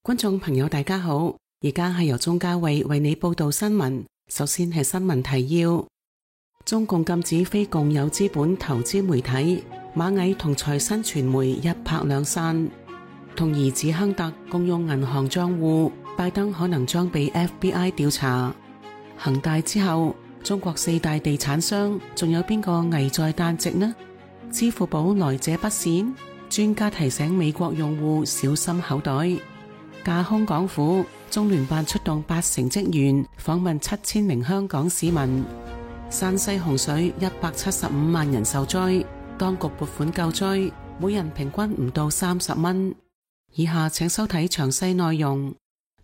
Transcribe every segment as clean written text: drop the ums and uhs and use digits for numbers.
觀眾朋友大家好，而家係由鍾嘉慧為你報道新聞。首先係新聞提要：中共禁止非共有資本投資媒體，螞蟻同財新傳媒一拍兩散。同兒子亨特共用銀行賬戶，拜登可能將被 FBI 調查。恒大之後，中國四大地產商仲有邊個危在旦夕呢？支付寶來者不善，專家提醒美國用戶小心口袋。架空港府，中聯辦出動80職員訪問7000名香港市民。山西洪水175萬人受災，當局撥款救災，每人平均唔到30蚊。以下請收睇詳細內容。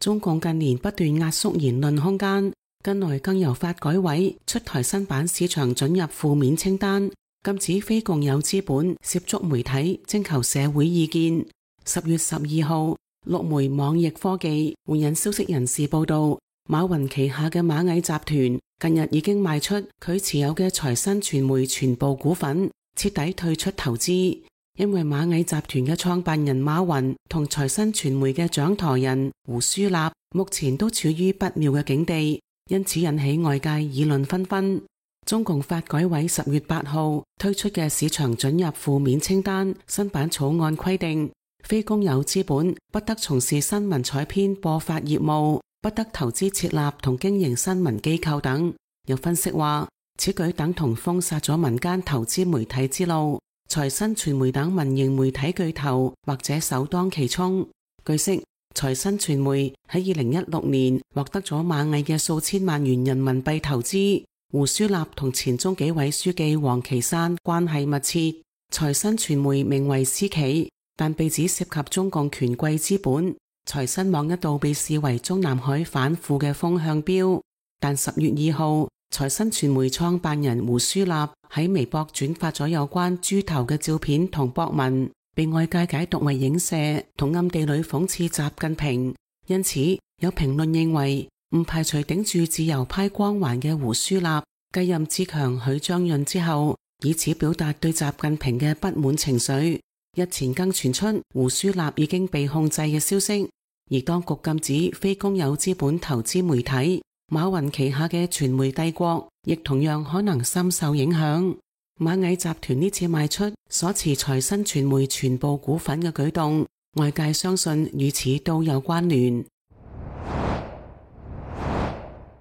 中共近年不斷壓縮言論空間，近來更由發改委出台新版市場准入負面清單，禁止非共有資本涉足媒體徵求社會意見。10月12號，陸媒網易科技援引消息人士報道，馬雲旗下嘅螞蟻集團近日已經賣出佢持有嘅財新傳媒全部股份，徹底退出投資。因為螞蟻集團嘅創辦人馬雲同財新傳媒嘅掌舵人胡舒立目前都處於不妙嘅境地，因此引起外界議論紛紛。中共發改委10月8號推出嘅市場准入負面清單新版草案規定，非公有資本不得從事新聞採編播發業務，不得投資設立同經營新聞機構等。有分析話，此舉等同封殺咗民間投資媒體之路，財新傳媒等民營媒體巨頭或者首當其衝。據悉，財新傳媒喺2016年獲得咗螞蟻嘅數千萬元人民幣投資。胡舒立同前中紀委書記王岐山關係密切，財新傳媒名為私企，但被指涉及中共權貴資本。財新網一度被視為中南海反腐嘅風向標，但10月2號，財新傳媒創辦人胡舒立喺微博轉發咗有關豬頭嘅照片同博文，被外界解讀為影射同暗地裏諷刺習近平。因此，有評論認為，唔排除頂住自由派光環嘅胡舒立繼任志強、許章潤之後，以此表達對習近平嘅不滿情緒。日前更傳出胡舒立已經被控制嘅消息，而當局禁止非公有資本投資媒體，馬雲旗下嘅傳媒帝國亦同樣可能深受影響。螞蟻集團呢次賣出所持財新傳媒全部股份嘅舉動，外界相信與此都有關聯。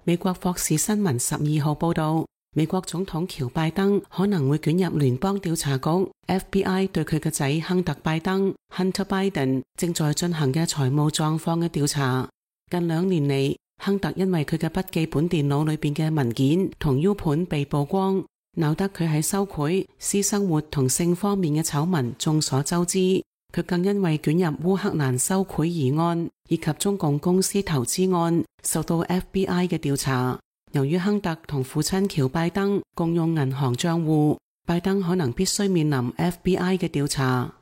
美國霍士新聞12號報道，美國總統喬拜登可能會捲入聯邦調查局 FBI 對佢嘅仔亨特拜登 Hunter Biden 正在進行嘅財務狀況嘅調查。近2年嚟，亨特因為佢嘅筆記本電腦裏邊嘅文件同 U 盤被曝光，鬧得佢喺收賄、私生活同性方面嘅醜聞眾所周知。佢更因為捲入烏克蘭收賄疑案以及中共公司投資案，受到 FBI 嘅調查。由於亨特同父親喬拜登共用銀行賬戶，拜登可能必須面臨 FBI 嘅調查。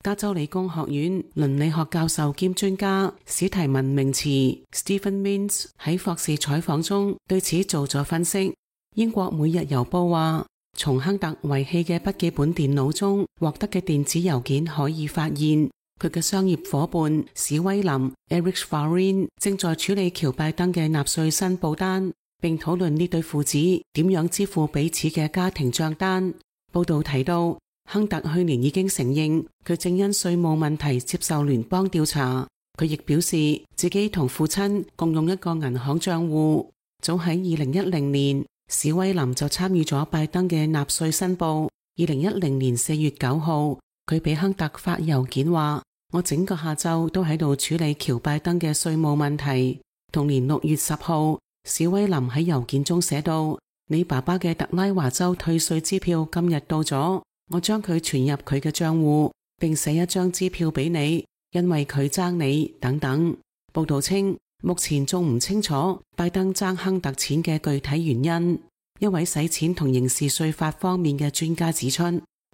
加州理工學院倫理學教授兼專家史提文明茨 Stephen Mintz 喺霍士採訪中對此做咗分析。英國每日郵報話，從亨特遺棄嘅筆記本電腦中獲得嘅電子郵件可以發現，佢嘅商業夥伴史威林 Eric Farin 正在處理喬拜登嘅納稅申報單，並討論呢對父子點樣支付彼此嘅家庭賬單。報道提到，亨特去年已經承認佢正因稅務問題接受聯邦調查。佢亦表示自己同父親共用一個銀行賬戶。早喺2010年，史威林就參與咗拜登嘅納稅申報。2010年4月9號，佢俾亨特發郵件話，我整個下晝都喺度處理喬拜登嘅稅務問題。同年6月10號，史威林喺郵件中寫道，你爸爸嘅特拉華州退稅支票今日到咗，我將佢存入佢嘅賬戶，並寫一張支票俾你，因為佢爭你等等。報道稱，目前仲唔清楚拜登爭亨特錢嘅具體原因。一位洗錢同刑事稅法方面嘅專家指出，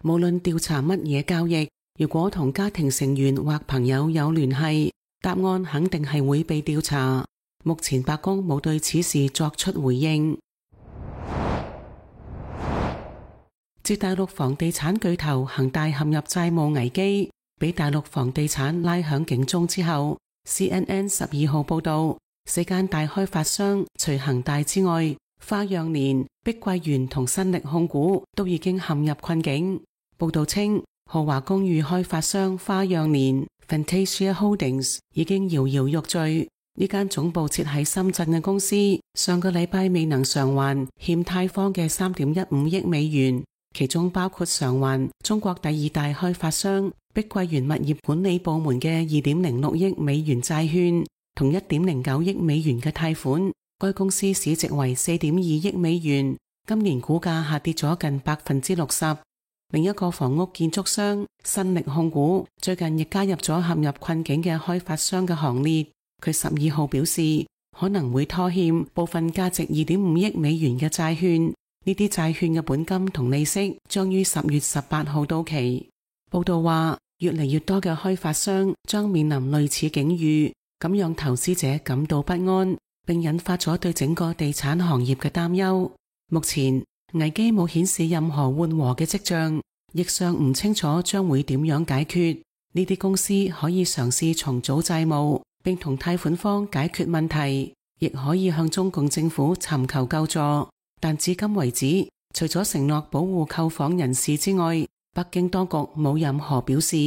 無論調查乜嘢交易，如果同家庭成員或朋友有聯繫，答案肯定係會被調查。目前白宮冇對此事作出回應。自大陸房地產巨頭恒大陷入債務危機，俾大陸房地產拉響警鐘之後， CNN 12號報道，4間大開發商除恒大之外，花樣年、碧桂園同新力控股都已經陷入困境。報道稱，豪華公寓開發商花樣年 Fantasia Holdings 已經搖搖欲墜。呢間總部設喺深圳嘅公司，上個禮拜未能償還欠貸方嘅 3.15 億美元，其中包括償還中國第二大開發商碧桂園物業管理部門嘅 2.06 億美元債券同 1.09 億美元嘅貸款。該公司市值為 4.2 億美元，今年股價下跌咗近 60%。另一個房屋建築商新力控股最近亦加入咗陷入困境嘅開發商嘅行列。佢12號表示，可能會拖欠部分價值 2.5 億美元嘅債券，呢啲債券嘅本金同利息將於10月18號到期。報道話，越嚟越多嘅開發商將面臨類似境遇，咁讓投資者感到不安，並引發咗對整個地產行業嘅擔憂。目前危機冇顯示任何緩和嘅跡象，亦尚唔清楚將會點樣解決。呢啲公司可以嘗試重組債務，並同貸款方解決問題，亦可以向中共政府尋求救助。但至今為止，除咗承諾保護購房人士之外，北京當局冇任何表示。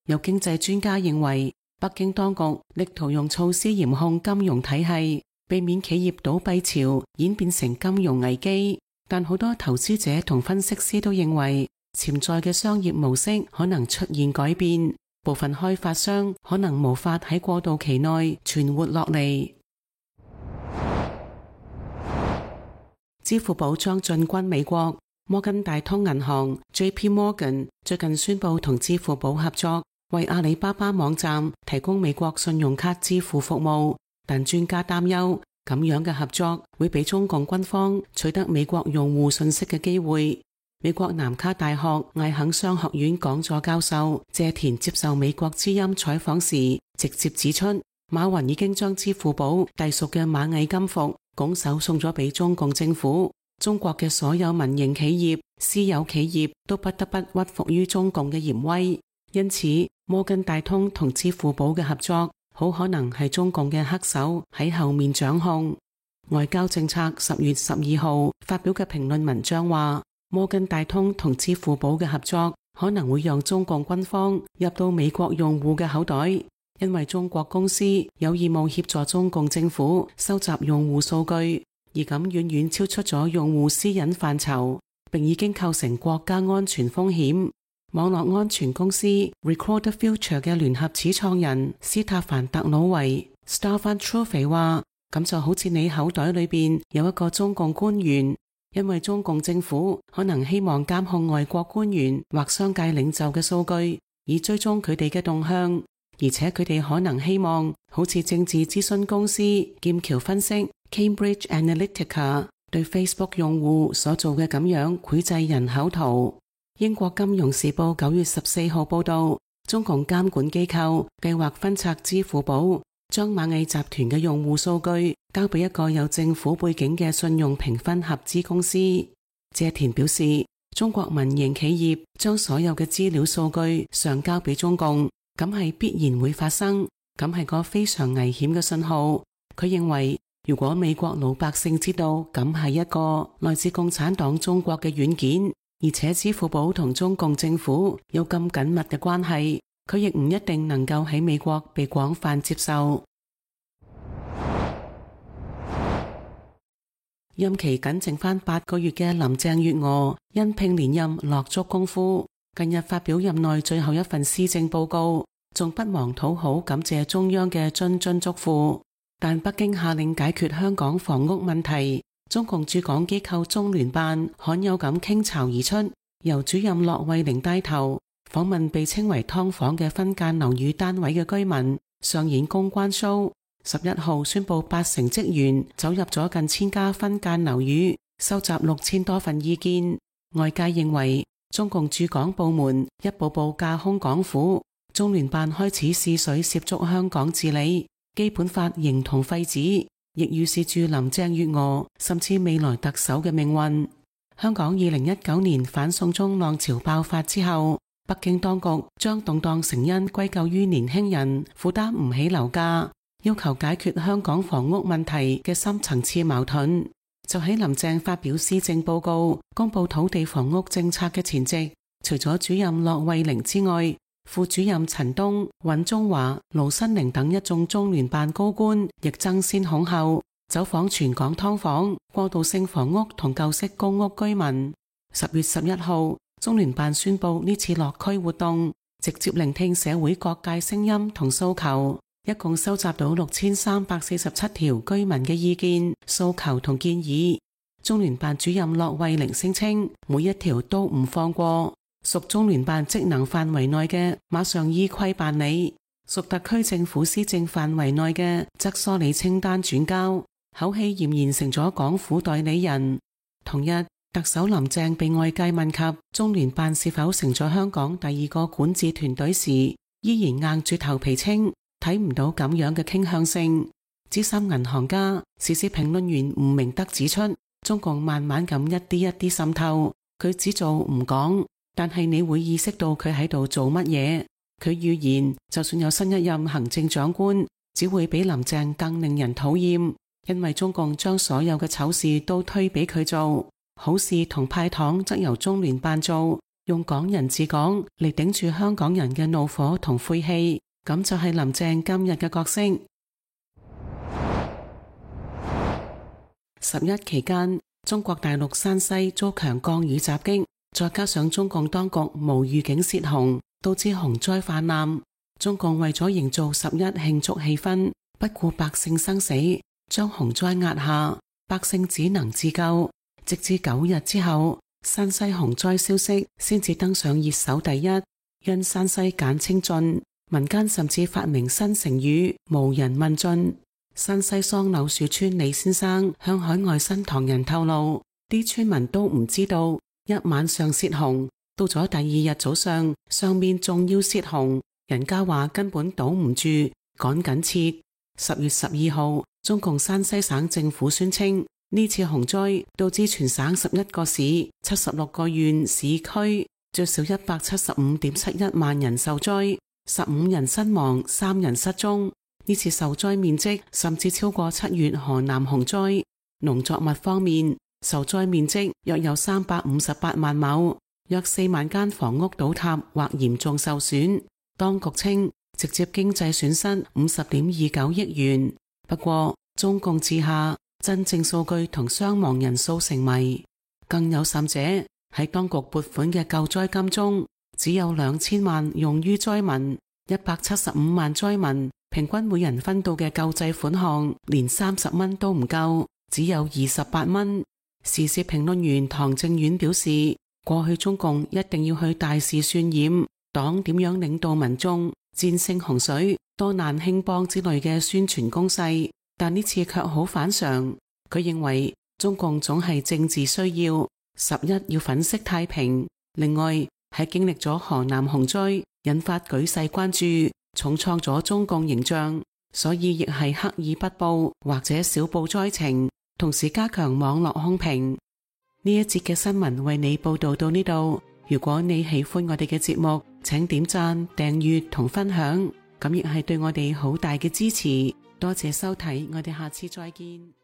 有經濟專家認為，北京當局力圖用措施嚴控金融體系，避免企業倒閉潮演變成金融危機。但好多投資者同分析師都認為，潛在嘅商業模式可能出現改變，部分開發商可能無法喺過渡期內存活落嚟。支付寶將進軍美國，摩根大通銀行 JP Morgan 最近宣布同支付寶合作，為阿里巴巴網站提供美國信用卡支付服務。但專家擔憂，咁樣嘅合作會俾中共軍方取得美國用戶信息嘅機會。美國南卡大學艾肯商學院講座教授謝田接受美國之音採訪時，直接指出，馬雲已經將支付寶隸屬嘅螞蟻金服拱手送咗俾中共政府。中國嘅所有民營企業、私有企業都不得不屈服於中共嘅嚴威。因此，摩根大通同支付寶嘅合作好可能係中共嘅黑手喺後面掌控。外交政策10月12號發表嘅評論文章話，摩根大通同支付寶嘅合作可能會讓中共軍方入到美國用戶嘅口袋，因為中國公司有義務協助中共政府收集用戶數據，而咁遠遠超出咗用戶私隱範疇，並已經構成國家安全風險。網絡安全公司 Record the Future 嘅聯合始創人斯塔凡特魯維 Stefan Truve 話，咁就好似你口袋裏邊有一個中共官員，因為中共政府可能希望監控外國官員或商界領袖嘅數據，以追蹤佢哋嘅動向，而且佢哋可能希望好似政治諮詢公司劍橋分析 Cambridge Analytica 對 Facebook 用戶所做嘅咁樣繪製人口圖。英國金融時報9月14號報道，中共監管機構計劃分拆支付寶，將螞蟻集團嘅用戶數據交俾一個有政府背景嘅信用評分合資公司。謝田表示，中國民營企業將所有嘅資料數據上交俾中共，咁係必然會發生，咁係個非常危險嘅信號。佢認為，如果美國老百姓知道咁係一個來自共產黨中國嘅軟件，而且支付寶同中共政府有咁緊密嘅關係，佢亦唔一定能夠喺美國被廣泛接受。任期僅剩返8個月嘅林鄭月娥因拼連任落足功夫，近日發表任內最後一份施政報告，仲不忘討好感謝中央嘅諄諄囑咐。但北京下令解決香港房屋問題，中共駐港機構中聯辦罕有咁傾巢而出，由主任駱惠寧帶頭訪問被稱為劏房嘅分間樓宇單位嘅居民，上演公關 show。11號宣布8成職員走入咗近1000家分間樓宇，收集6000多份意見。外界認為中共駐港部門一步步架空港府，中聯辦開始試水涉足香港治理，基本法形同廢紙，亦預示住林鄭月娥甚至未來特首嘅命運。香港2019年反送中浪潮爆發之後，北京當局將動盪成因歸咎於年輕人負擔唔起樓價，要求解決香港房屋問題嘅深層次矛盾。就喺林鄭發表施政報告、公布土地房屋政策嘅前夕，除咗主任駱惠寧之外，副主任陳東、尹宗華、盧新寧等一眾中聯辦高官亦爭先恐後走訪全港劏房、過渡性房屋同舊式公屋居民。10月11號，中聯辦宣布呢次落區活動，直接聆聽社會各界聲音同訴求。一共收集到6347條居民嘅意見、訴求同建議。中聯辦主任駱惠寧聲稱，每一條都唔放過，屬中聯辦職能範圍內嘅馬上依規辦理，屬特區政府施政範圍內嘅則梳理清單轉交，口氣儼然成咗港府代理人。同日，特首林鄭被外界問及中聯辦是否成咗香港第二個管治團隊時，依然硬住頭皮稱睇唔到咁樣嘅傾向性。資深銀行家、時事評論員吳明德指出，中共慢慢咁一啲一啲滲透，佢只做唔講，但係你會意識到佢喺度做乜嘢。佢預言，就算有新一任行政長官，只會比林鄭更令人討厭，因為中共將所有嘅醜事都推俾佢做，好事同派糖則由中聯辦做，用港人治港嚟頂住香港人嘅怒火同晦氣。咁就係林鄭今日嘅角色。11期間，中國大陸山西遭強降雨襲擊，再加上中共當局無預警泄洪，導致洪災泛濫。中共為咗營造11慶祝氣氛，不顧百姓生死，將洪災壓下，百姓只能自救。直至9日之後，山西洪災消息先至登上熱搜第一。因山西簡稱晉，民間甚至發明新成語無人問晉。山西桑柳樹村李先生向海外新唐人透露，啲村民都唔知道一晚上泄洪，到咗第二日早上，上面仲要泄洪，人家話根本堵唔住，趕緊撤。10月12號，中共山西省政府宣稱，呢次洪災導致全省11個市、76個縣市區最少175.71萬人受災，15人身亡，3人失蹤。呢次受災面積甚至超過7月河南洪災。農作物方面，受災面積約有358萬畝，約4萬間房屋倒塌或嚴重受損。當局稱直接經濟損失50.29億元。不過中共治下，真正數據同傷亡人數成謎。更有甚者，喺當局撥款嘅救災金中，只有2000萬用於災民，175萬災民平均每人分到嘅救濟款項連30蚊都唔夠，只有28蚊。時事評論員唐正遠表示，過去中共一定要去大肆渲染黨點樣領導民眾戰勝洪水、多難興邦之類嘅宣傳攻勢，但呢次卻好反常。佢認為中共總係政治需要，11要粉飾太平。另外喺經歷咗河南洪災引發舉世關注，重創咗中共形象，所以亦係刻意不報或者少報災情，同時加強網絡控評。呢一節嘅新聞為你報道到呢度。如果你喜歡我哋嘅節目，請點讚、訂閱同分享，咁亦係對我哋好大嘅支持。多謝收睇，我哋下次再見。